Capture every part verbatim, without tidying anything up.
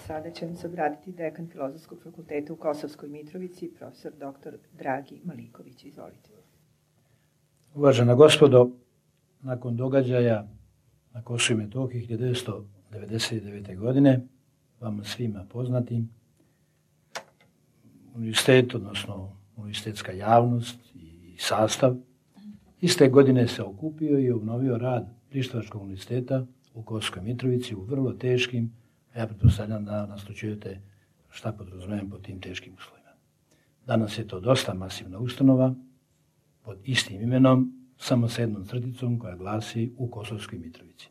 Sada će nam se obratiti dekan Filozofskog fakulteta u Kosovskoj Mitrovici, profesor doktor Dragi Maliković. Izvolite. Uvažena gospodo, nakon događaja na Kosovu i Metohiji hiljadu devetsto devedeset devete. godine, vama svima poznatim, univerzitet, odnosno univerzitetska javnost i sastav, iste godine se okupio i obnovio rad Prištavačkog univerziteta u Kosovskoj Mitrovici u vrlo teškim, a ja pretpostavljam da naslućujete šta podrazumijem pod tim teškim uslovima. Danas je to dosta masivna ustanova pod istim imenom, samo sa jednom crticom koja glasi u Kosovskoj Mitrovici.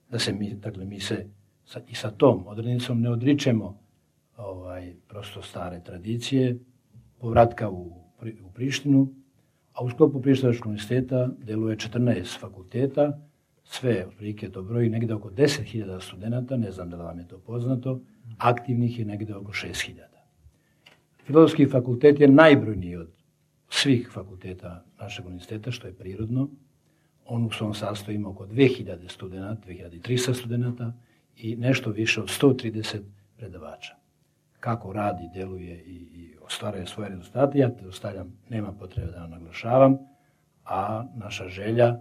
Da se mi, dakle, mi se sa, i sa tom odrednicom ne odričemo ovaj, prosto stare tradicije, povratka u, u Prištinu, a u sklopu Prištavačkog univerziteta deluje četrnaest fakulteta, sve otprilike to broji negde oko deset hiljada studenata, ne znam da li vam je to poznato, aktivnih je negde oko šest hiljada. Filozofski fakultet je najbrojniji od svih fakulteta našeg univerziteta, što je prirodno. On u svom sastavu ima oko dve hiljade studenata, dve hiljade trista studenata i nešto više od sto trideset predavača. Kako radi, deluje i, i ostvaruje svoje rezultate, ja te ostavljam, nema potrebe da vam naglašavam, a naša želja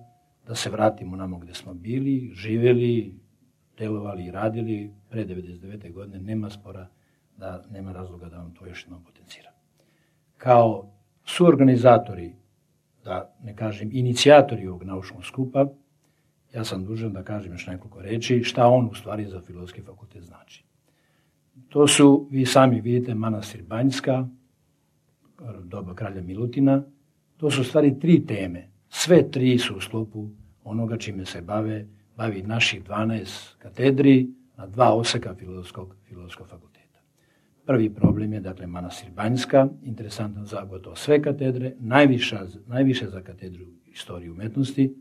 da se vratimo namo gde smo bili, živjeli, delovali i radili pre devedeset devete. godine, nema spora, da nema razloga da vam to još jednom potenciram. Kao suorganizatori, da ne kažem inicijatori ovog naučnog skupa, ja sam dužan da kažem još nekoliko reči šta on u stvari za Filozofski fakultet znači. To su, vi sami vidite, Manastir Banjska, doba kralja Milutina, to su u stvari tri teme. Sve tri su u sklopu onoga čime se bave, bavi naših dvanaest katedri na dva oseka Filozofskog, Filozofskog fakulteta. Prvi problem je, dakle, Manastir Banjska, interesantan za gotovo sve katedre, najviša, najviše za katedru istorije umetnosti,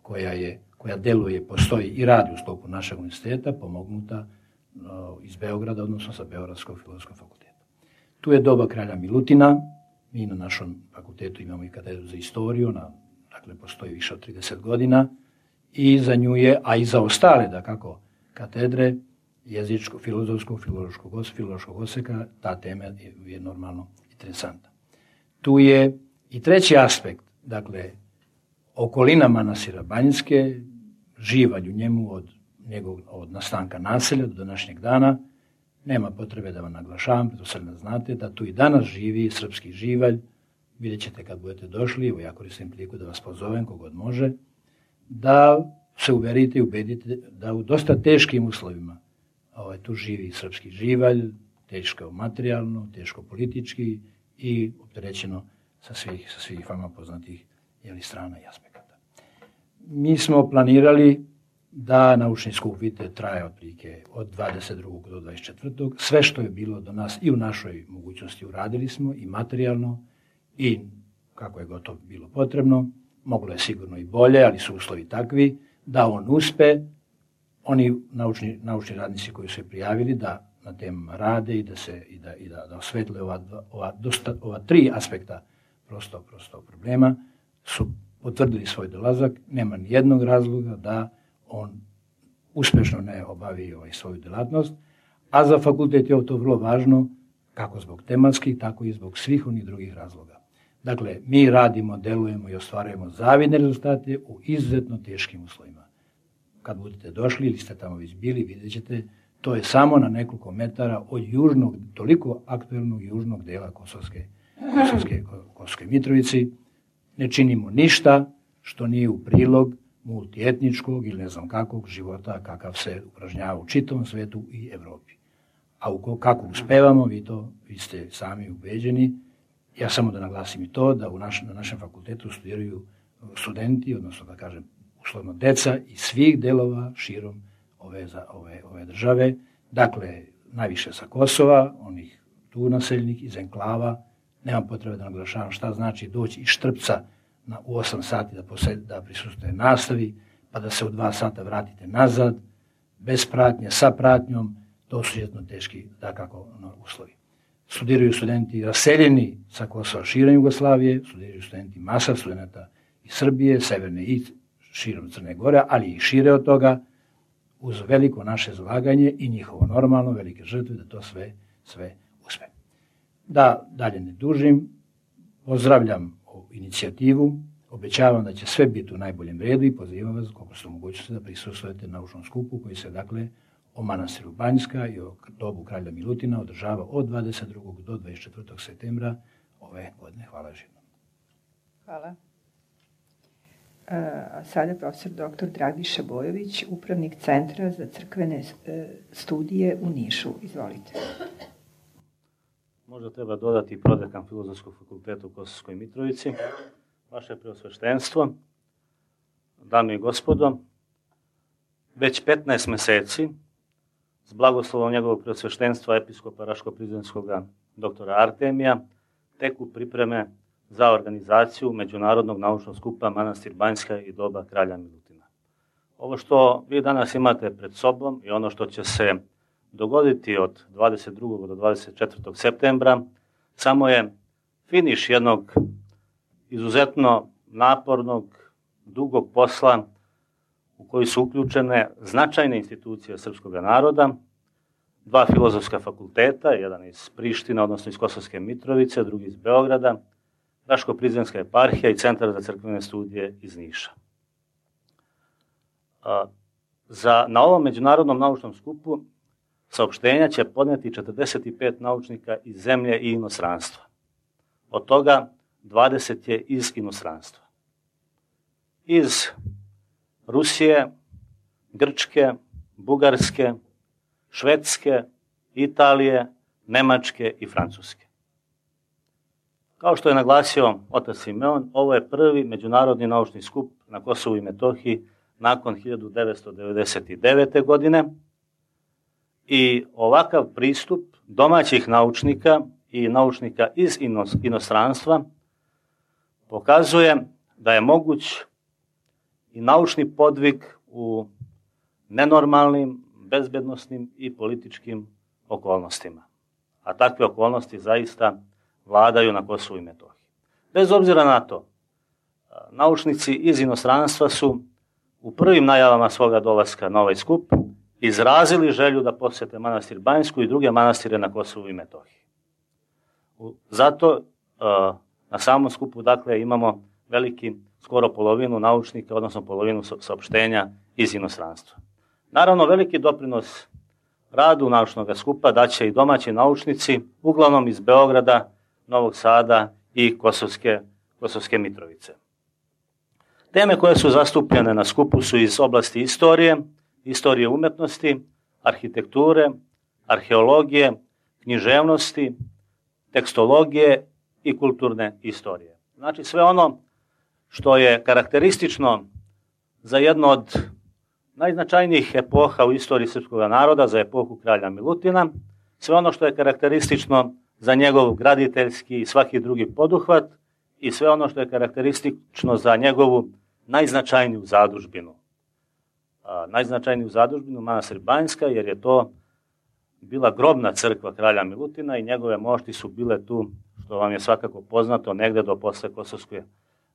koja, je, koja deluje, postoji i radi u sklopu našeg univerziteta, pomognuta no, iz Beograda, odnosno sa Beogradskog Filozofskog fakulteta. Tu je doba kralja Milutina, mi na našom fakultetu imamo i katedru za istoriju, na dakle, postoji više od trideset godina i za nju je, a i za ostale, da kako, katedre jezičko, filozofskog, filološkog, filološkog oseka, ta tema je, je normalno interesantna. Tu je i treći aspekt, dakle, okolina Manastira Banjske, živalj u njemu od, njegov, od nastanka naselja do današnjeg dana, nema potrebe da vam naglašavam, to sad ne znate, da tu i danas živi srpski živalj. Vidjet ćete kad budete došli, evo ja koristim priliku da vas pozovem, kogod može, da se uverite i ubedite da u dosta teškim uslovima ovaj, tu živi srpski živalj, teško materijalno, teško politički i opterećeno sa svih, sa svih vama poznatih jeli, strana i aspekata. Mi smo planirali da naučni skup, vidite, traje otprilike od dvadeset drugog do dvadeset četvrtog Sve što je bilo do nas i u našoj mogućnosti uradili smo i materijalno, i kako je gotovo bilo potrebno, moglo je sigurno i bolje, ali su uslovi takvi da on uspe, oni naučni, naučni radnici koji su se prijavili da na temama rade i da se i da, i da, da osvetle ova, ova, dosta, ova tri aspekta prosto, prosto problema, su potvrdili svoj dolazak, nema ni jednog razloga da on uspešno ne obavi ovaj svoju delatnost, a za fakultet je to vrlo važno, kako zbog tematskih, tako i zbog svih onih drugih razloga. Dakle, mi radimo, delujemo i ostvarujemo zavidne rezultate u izuzetno teškim uslovima. Kad budete došli ili ste tamo već bili, vidjet ćete, to je samo na nekoliko metara od južnog, toliko aktuelnog južnog dela Kosovske, Kosovske, Kosovske Mitrovici. Ne činimo ništa što nije u prilog multietničkog ili ne znam kakvog života kakav se upražnjava u čitavom svetu i Evropi. A u kako uspevamo, vi to, vi ste sami ubeđeni. Ja samo da naglasim i to, da u naš, na našem fakultetu studiraju studenti, odnosno da kažem uslovno deca iz svih delova širom ove, ove, ove države. Dakle, najviše sa Kosova, onih tu naseljenih, iz enklava. Nemam potrebe da naglašavam šta znači doći iz Štrpca na, u osam sati da, posed, da prisustuje nastavi, pa da se u dva sata vratite nazad, bez pratnje, sa pratnjom. To su jedno teški, dakako, no, uslovi. Studiraju studenti raseljeni sa Kosova širom Jugoslavije, studiraju studenti masa studenta iz Srbije, severne i širom Crne Gore, ali i šire od toga. uz veliko naše zalaganje i njihovo normalno velike žrtve da to sve, sve uspe. Da dalje ne dužim, pozdravljam ovu inicijativu, obećavam da će sve biti u najboljem redu i pozivam vas koliko ste mogućnosti da prisustvujete naučnom skupu koji se dakle o manastiru Banjska i o dobu kralja Milutina održava od dvadeset drugog do dvadeset četvrtog septembra ove godine. Hvala još jednom. Hvala. A sada profesor doktor Dragiša Bojović, upravnik Centra za crkvene studije u Nišu. Izvolite. Možda treba dodati prodekan Filozofskog fakulteta u Kosovskoj Mitrovici. Vaše preosveštenstvo, dame i gospodo, već petnaest meseci s blagoslovom njegovog preosveštenstva episkopa Raško-Prizrenskog doktora Artemija teku pripreme za organizaciju Međunarodnog naučnog skupa Manastir Banjska i doba kralja Milutina. Ovo što vi danas imate pred sobom i ono što će se dogoditi od dvadeset drugog do dvadeset četvrtog septembra samo je finiš jednog izuzetno napornog, dugog posla u koji su uključene značajne institucije srpskog naroda, dva filozofska fakulteta, jedan iz Prištine, odnosno iz Kosovske Mitrovice, drugi iz Beograda, Raško-Prizrenska eparhija i Centar za crkvene studije iz Niša. Za, na ovom međunarodnom naučnom skupu saopštenja će podneti četrdeset pet naučnika iz zemlje i inostranstva. Od toga dvadeset je iz inostranstva. Iz Rusije, Grčke, Bugarske, Švedske, Italije, Nemačke i Francuske. Kao što je naglasio otac Simeon, ovo je prvi međunarodni naučni skup na Kosovu i Metohiji nakon hiljadu devetsto devedeset devete. godine i ovakav pristup domaćih naučnika i naučnika iz inostranstva pokazuje da je moguć i naučni podvig u nenormalnim, bezbednosnim i političkim okolnostima. A takve okolnosti zaista vladaju na Kosovu i Metohiji. Bez obzira na to, naučnici iz inostranstva su u prvim najavama svoga dolaska na ovaj skup izrazili želju da posjete manastir Banjsku i druge manastire na Kosovu i Metohiji. Zato na samom skupu dakle imamo veliki, skoro polovinu naučnika, odnosno polovinu saopštenja iz inostranstva. Naravno, veliki doprinos radu naučnog skupa daće i domaći naučnici, uglavnom iz Beograda, Novog Sada i Kosovske, Kosovske Mitrovice. Teme koje su zastupljene na skupu su iz oblasti istorije, istorije umetnosti, arhitekture, arheologije, književnosti, tekstologije i kulturne istorije. Znači sve ono što je karakteristično za jednu od najznačajnijih epoha u istoriji srpskog naroda, za epohu kralja Milutina, sve ono što je karakteristično za njegov graditeljski i svaki drugi poduhvat i sve ono što je karakteristično za njegovu najznačajniju zadužbinu. A, najznačajniju zadužbinu manastir Banjska, jer je to bila grobna crkva kralja Milutina i njegove mošti su bile tu, što vam je svakako poznato, negde do posle Kosovske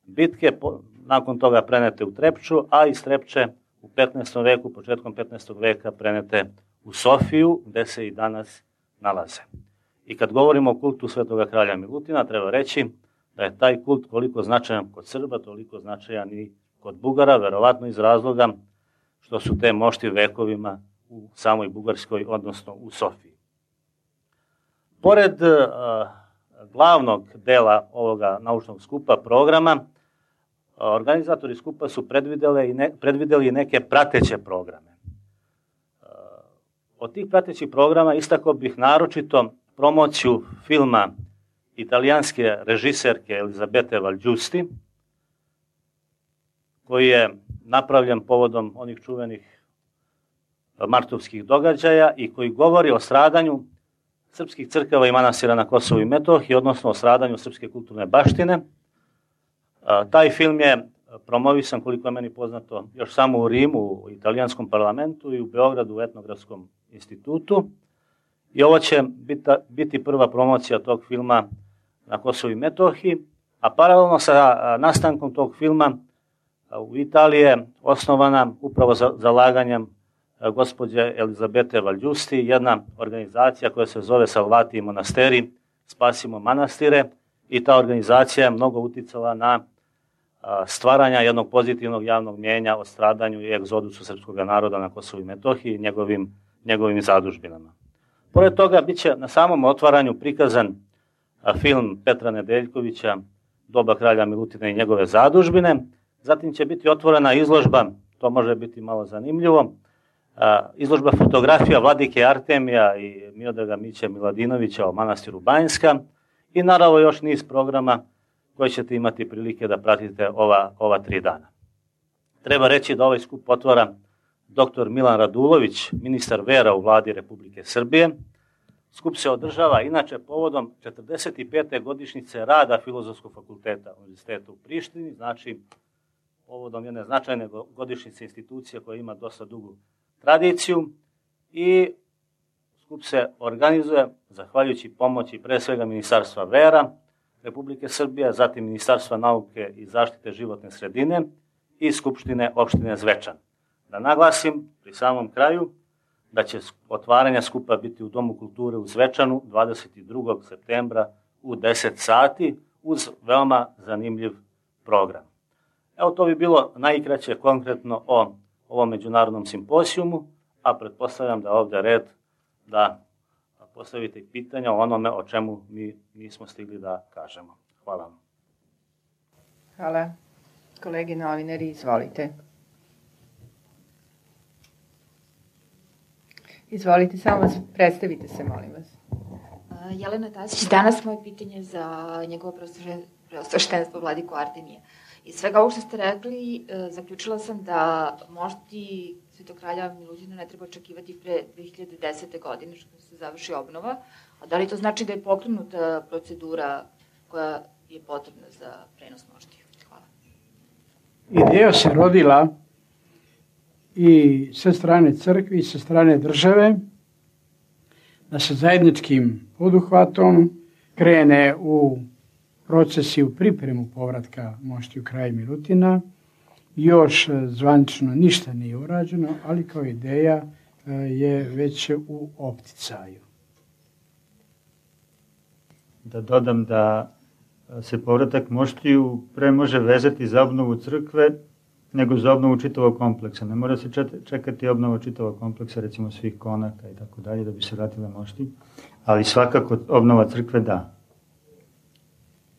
bitke, po, nakon toga prenete u Trepču, a iz Trepče u petnaestom veku, početkom petnaestog veka prenete u Sofiju, gde se i danas nalaze. I kad govorimo o kultu svetoga kralja Milutina, treba reći da je taj kult koliko značajan kod Srba, toliko značajan i kod Bugara, verovatno iz razloga što su te mošti vekovima u samoj Bugarskoj, odnosno u Sofiji. Pored uh, glavnog dela ovoga naučnog skupa, programa, uh, organizatori skupa su predvideli i, ne, predvideli neke prateće programe. Uh, od tih pratećih programa istakao bih naročito promociju filma italijanske režiserke Elizabete Valđusti, koji je napravljen povodom onih čuvenih martovskih događaja i koji govori o stradanju srpskih crkava i manastira na Kosovu i Metohiji, odnosno o stradanju srpske kulturne baštine. Taj film je promovisan, koliko je meni poznato, još samo u Rimu, u italijanskom parlamentu i u Beogradu u Etnografskom institutu. I ovo će biti prva promocija tog filma na Kosovu i Metohiji, a paralelno sa nastankom tog filma u Italiji je osnovana upravo za zalaganjem gospođe Elizabete Valjusti, jedna organizacija koja se zove Salvatiji monasteri, Spasimo manastire, i ta organizacija je mnogo uticala na stvaranja jednog pozitivnog javnog mjenja o stradanju i egzodusu srpskog naroda na Kosovu i Metohiji i njegovim, njegovim zadužbinama. Pored toga, bit će na samom otvaranju prikazan film Petra Nedeljkovića Doba kralja Milutina i njegove zadužbine. Zatim će biti otvorena izložba, to može biti malo zanimljivo, izložba fotografija vladike Artemija i Miodraga Miće Miladinovića o manastiru Banjska i naravno još niz programa koje ćete imati prilike da pratite ova, ova tri dana. Treba reći da ovaj skup otvara doktor Milan Radulović, ministar vera u vladi Republike Srbije. Skup se održava inače povodom četrdeset pete godišnjice rada Filozofskog fakulteta Univerziteta u Prištini, znači povodom jedne značajne godišnjice institucije koja ima dosta dugu tradiciju, i skup se organizuje zahvaljujući pomoći pre svega Ministarstva vera Republike Srbije, zatim Ministarstva nauke i zaštite životne sredine i Skupštine opštine Zvečan. Da naglasim pri samom kraju da će otvaranje skupa biti u Domu kulture u Zvečanu dvadeset drugog septembra u deset sati uz veoma zanimljiv program. Evo, to bi bilo najkraće konkretno o ovom međunarodnom simposijumu, a pretpostavljam da je ovde red da postavite pitanja o onome o čemu mi nismo stigli da kažemo. Hvala vam. Hvala. Kolege novinari, izvolite. Izvolite, samo vas predstavite se, molim vas. Jelena Tasić, danas moje pitanje za njegovo preosveštenstvo vladiku Artemija. Iz svega ovo što ste rekli, zaključila sam da mošti Svetog kralja Milutina ne treba očekivati pre dve hiljade desete. godine, što se završi obnova. A da li to znači da je pokrenuta procedura koja je potrebna za prenos moštiju? Hvala. Ideja se rodila i sa strane crkve i sa strane države da se zajedničkim poduhvatom krene u proces i u pripremu povratka moštiju kraja Milutina. Još zvanično ništa nije urađeno, ali kao ideja je već u opticaju. Da dodam da se povratak moštiju pre može vezati za obnovu crkve nego za obnovu čitavog kompleksa. Ne mora se čekati obnova čitavog kompleksa, recimo svih konaka i tako dalje, da bi se vratile mošti, ali svakako obnova crkve da.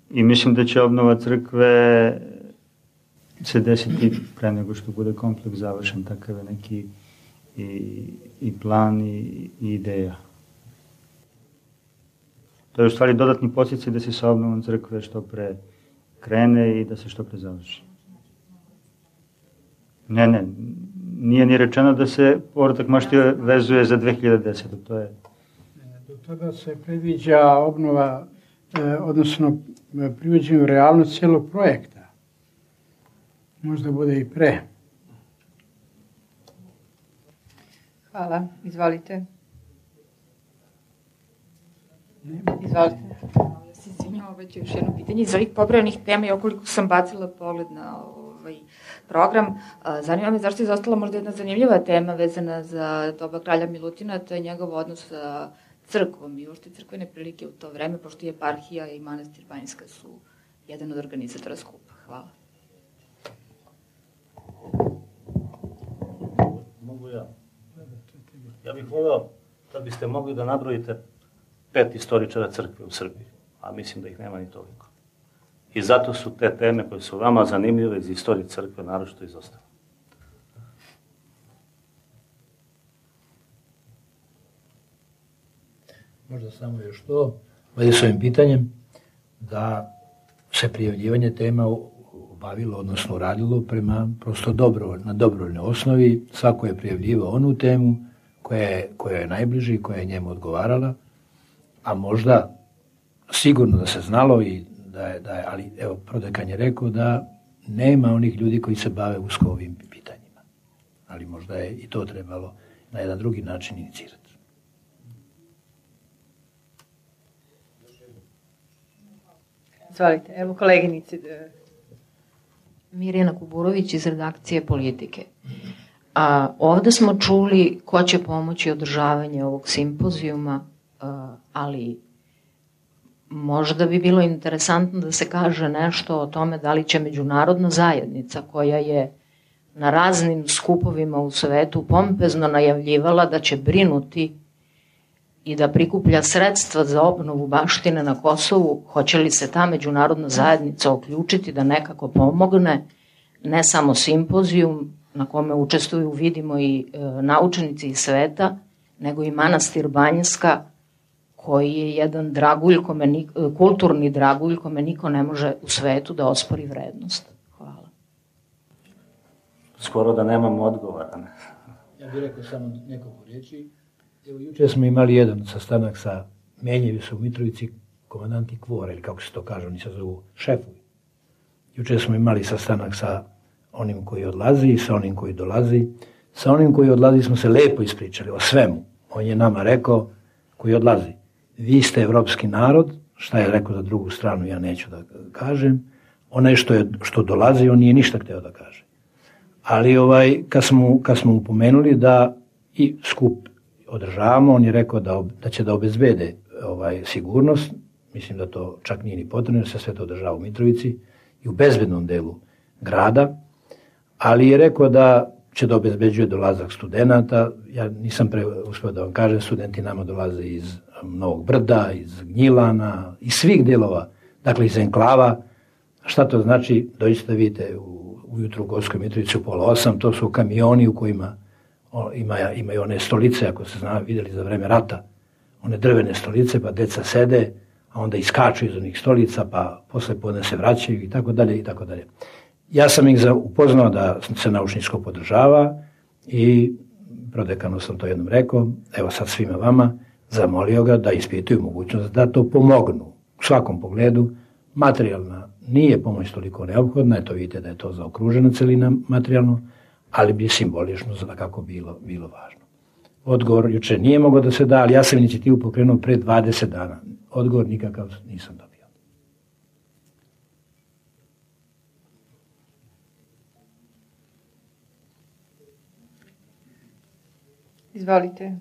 I mislim da će obnova crkve se desiti pre nego što bude kompleks završen, takav je neki i, i plan i, i ideja. To je u stvari dodatni podsticaj da se sa obnovom crkve što pre krene i da se što pre završi. Ne, ne, nije ni rečeno da se povratak moštija vezuje za dve hiljade desete. To je... Do tada se predviđa obnova, odnosno privođenje u realnost cijelog projekta. Možda bude i pre. Hvala. Izvolite. Izvolite. Ja se izvinjam, već još jedno pitanje. Iz ovih pobrojanih tema i okoliko sam bacila pogled na ovaj program, zanima me zašto je izostala možda jedna zanimljiva tema vezana za doba kralja Milutina, to je njegov odnos sa crkvom i uopšte crkvene prilike u to vreme, pošto je eparhija i manastir Banjska su jedan od organizatora skupa. Hvala. Mogu ja. Ja bih voleo da biste mogli da nabrojite pet istoričara crkve u Srbiji, a mislim da ih nema ni toliko. I zato su te teme koje su vama zanimljive iz istorije crkve naročito izostale. Možda samo još to, već s ovim pitanjem, da se prijavljivanje tema obavilo, odnosno radilo prema prosto dobro, na dobrovoljnoj osnovi. Svako je prijavljivao onu temu koja je, koja je najbliži i koja je njemu odgovarala, a možda sigurno da se znalo i da je, da je, ali evo, prodekan je rekao da nema onih ljudi koji se bave usko ovim pitanjima. Ali možda je i to trebalo na jedan drugi način inicirati. Izvolite, evo koleginici. Mirjana Kuburović iz redakcije Politike. A ovde smo čuli ko će pomoći održavanje ovog simpozijuma, ali možda bi bilo interesantno da se kaže nešto o tome da li će međunarodna zajednica, koja je na raznim skupovima u svetu pompezno najavljivala da će brinuti i da prikuplja sredstva za obnovu baštine na Kosovu, hoće li se ta međunarodna zajednica uključiti da nekako pomogne, ne samo simpozijum na kome učestvuju, vidimo, i e, naučnici iz sveta, nego i manastir Banjska, koji je jedan dragulj, kome ni, kulturni dragulj kome niko ne može u svetu da ospori vrednost. Hvala. Skoro da nemamo odgovora. Ne? Ja bih rekao samo nekoliko riječi. Evo, juče smo imali jedan sastanak sa Menjevi su u Mitrovici, komandanti Kvora, ili kako se to kaže, oni se zovu šefovi. Juče smo imali sastanak sa onim koji odlazi i sa onim koji dolazi. Sa onim koji odlazi smo se lepo ispričali o svemu. On je nama rekao, koji odlazi, vi ste evropski narod, šta je rekao za drugu stranu, ja neću da kažem. Onaj što, je, što dolazi, on nije ništa hteo da kaže. Ali ovaj, kad smo, kad smo upomenuli da i skup održavamo, on je rekao da, da će da obezbede ovaj, sigurnost, mislim da to čak nije ni potrebno, jer se sve to održava u Mitrovici i u bezbednom delu grada, ali je rekao da će da obezbeđuje dolazak studenta. Ja nisam pre uspio da vam kažem, studenti nama dolaze iz Novog Brda, iz Gnjilana, iz svih delova, dakle iz enklava. Šta to znači? Dođite da vidite u, ujutru u Gorskoj Mitrovici u pola osam, to su kamioni u kojima ima, imaju one stolice, ako se zna, vidjeli za vreme rata, one drvene stolice, pa deca sede, a onda iskaču iz onih stolica, pa posle podne se vraćaju i tako dalje i tako dalje. Ja sam ih upoznao da se naučni skup podržava i prodekanu sam to jednom rekao, evo sad svima vama, zamolio ga da ispituju mogućnost da to pomognu u svakom pogledu. Materijalna nije pomoć toliko neophodna, eto vidite da je to zaokružena celina materijalno, ali bi simbolično za kako bilo, bilo važno. Odgovor juče nije mogao da se da, ali ja sam inicijativu pokrenuo pre dvadeset dana. Odgovor nikakav nisam dobio. Izvolite.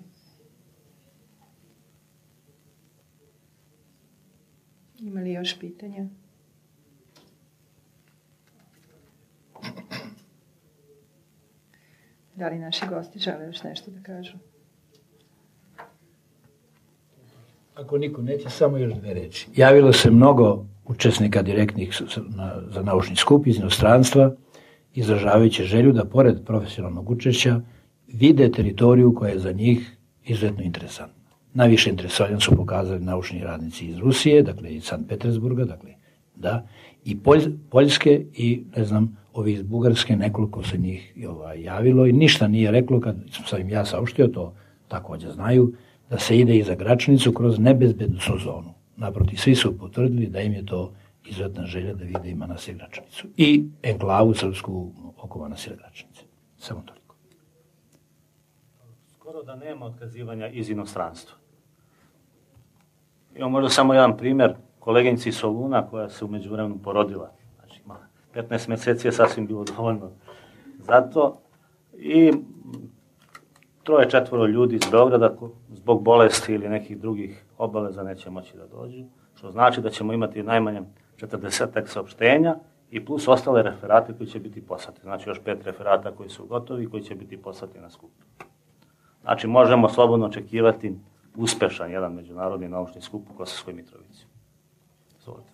Ima li još pitanja? Da li naši gosti žele još nešto da kažu? Ako niko neće, samo još dve reči. Javilo se mnogo učesnika direktnih za naučni skup iz inostranstva, izražavajući želju da pored profesionalnog učešća vide teritoriju koja je za njih izuzetno interesantna. Najviše interesovanja su pokazali naučni radnici iz Rusije, dakle iz Sankt Petersburga, dakle, da, i Poljske i, ne znam, ovi iz Bugarske, nekoliko se njih ovaj, javilo i ništa nije reklo, kad sam im ja saopštio, to također znaju, da se ide i za Gračanicu kroz nebezbednosnu zonu. Naprotiv, svi su potvrdili da im je to izuzetna želja da vide i manastir Gračanicu. I enklavu srpsku oko manastira Gračanice. Samo toliko. Skoro da nema otkazivanja iz inostranstva. Imamo možda samo jedan primjer, koleginici Soluna koja se u međuvremenu porodila. Znači, petnaest meseci je sasvim bilo dovoljno za to. I troje, četvoro ljudi iz Beograda zbog bolesti ili nekih drugih obaveza neće moći da dođu, što znači da ćemo imati najmanje četrdesetak saopštenja i plus ostale referate koji će biti poslati. Znači još pet referata koji su gotovi i koji će biti poslati na skup. Znači možemo slobodno očekivati uspešan jedan međunarodni naučni skup u Kosovskoj Mitrovici. Zvolite.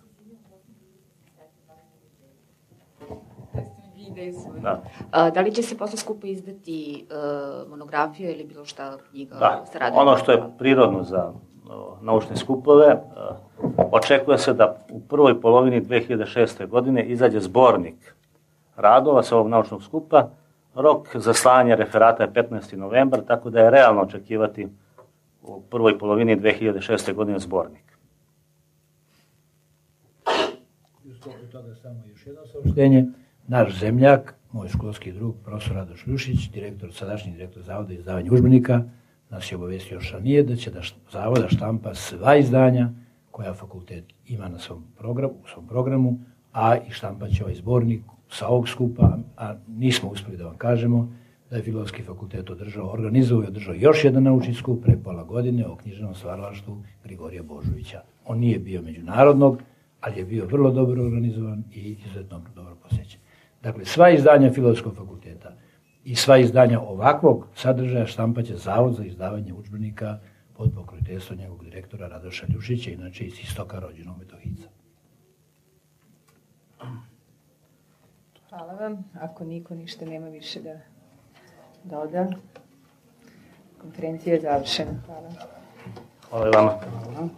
Da. A, da li će se posle skupa izdati uh, monografija ili bilo šta knjiga? Da, ono što je prirodno za uh, naučne skupove, uh, očekuje se da u prvoj polovini dve hiljade šeste. godine izađe zbornik radova sa ovog naučnog skupa. Rok za slanje referata je petnaesti novembar, tako da je realno očekivati u prvoj polovini dve hiljade šeste. godine zbornik. I u sklopu toga samo još jedno saopštenje. Naš zemljak, moj školski drug, profesor Radoš Ljušić, direktor, sadašnji direktor Zavoda izdavanja udžbenika, nas je obavestio još ranije da će da Zavoda štampa sva izdanja koja fakultet ima na svom programu, u svom programu, a i štampa će ovaj zbornik sa ovog skupa, a nismo uspeli da vam kažemo da je Filozofski fakultet održao, organizovao i održao još jedan naučni skup pre pola godine o književnom stvaralaštvu Grigorija Božovića. On nije bio međunarodnog, ali je bio vrlo dobro organizovan i izuzetno dobro posjećen. Dakle, sva izdanja Filozofskog fakulteta i sva izdanja ovakvog sadržaja štampaće Zavod za izdavanje udžbenika pod pokroviteljstvom njegovog direktora Radoša Ljušića, inače iz Istoka rođenog Metohijca. Hvala vam. Ako niko ništa nema više da doda, konferencija je završena. Hvala. Hvala i vama. Hvala.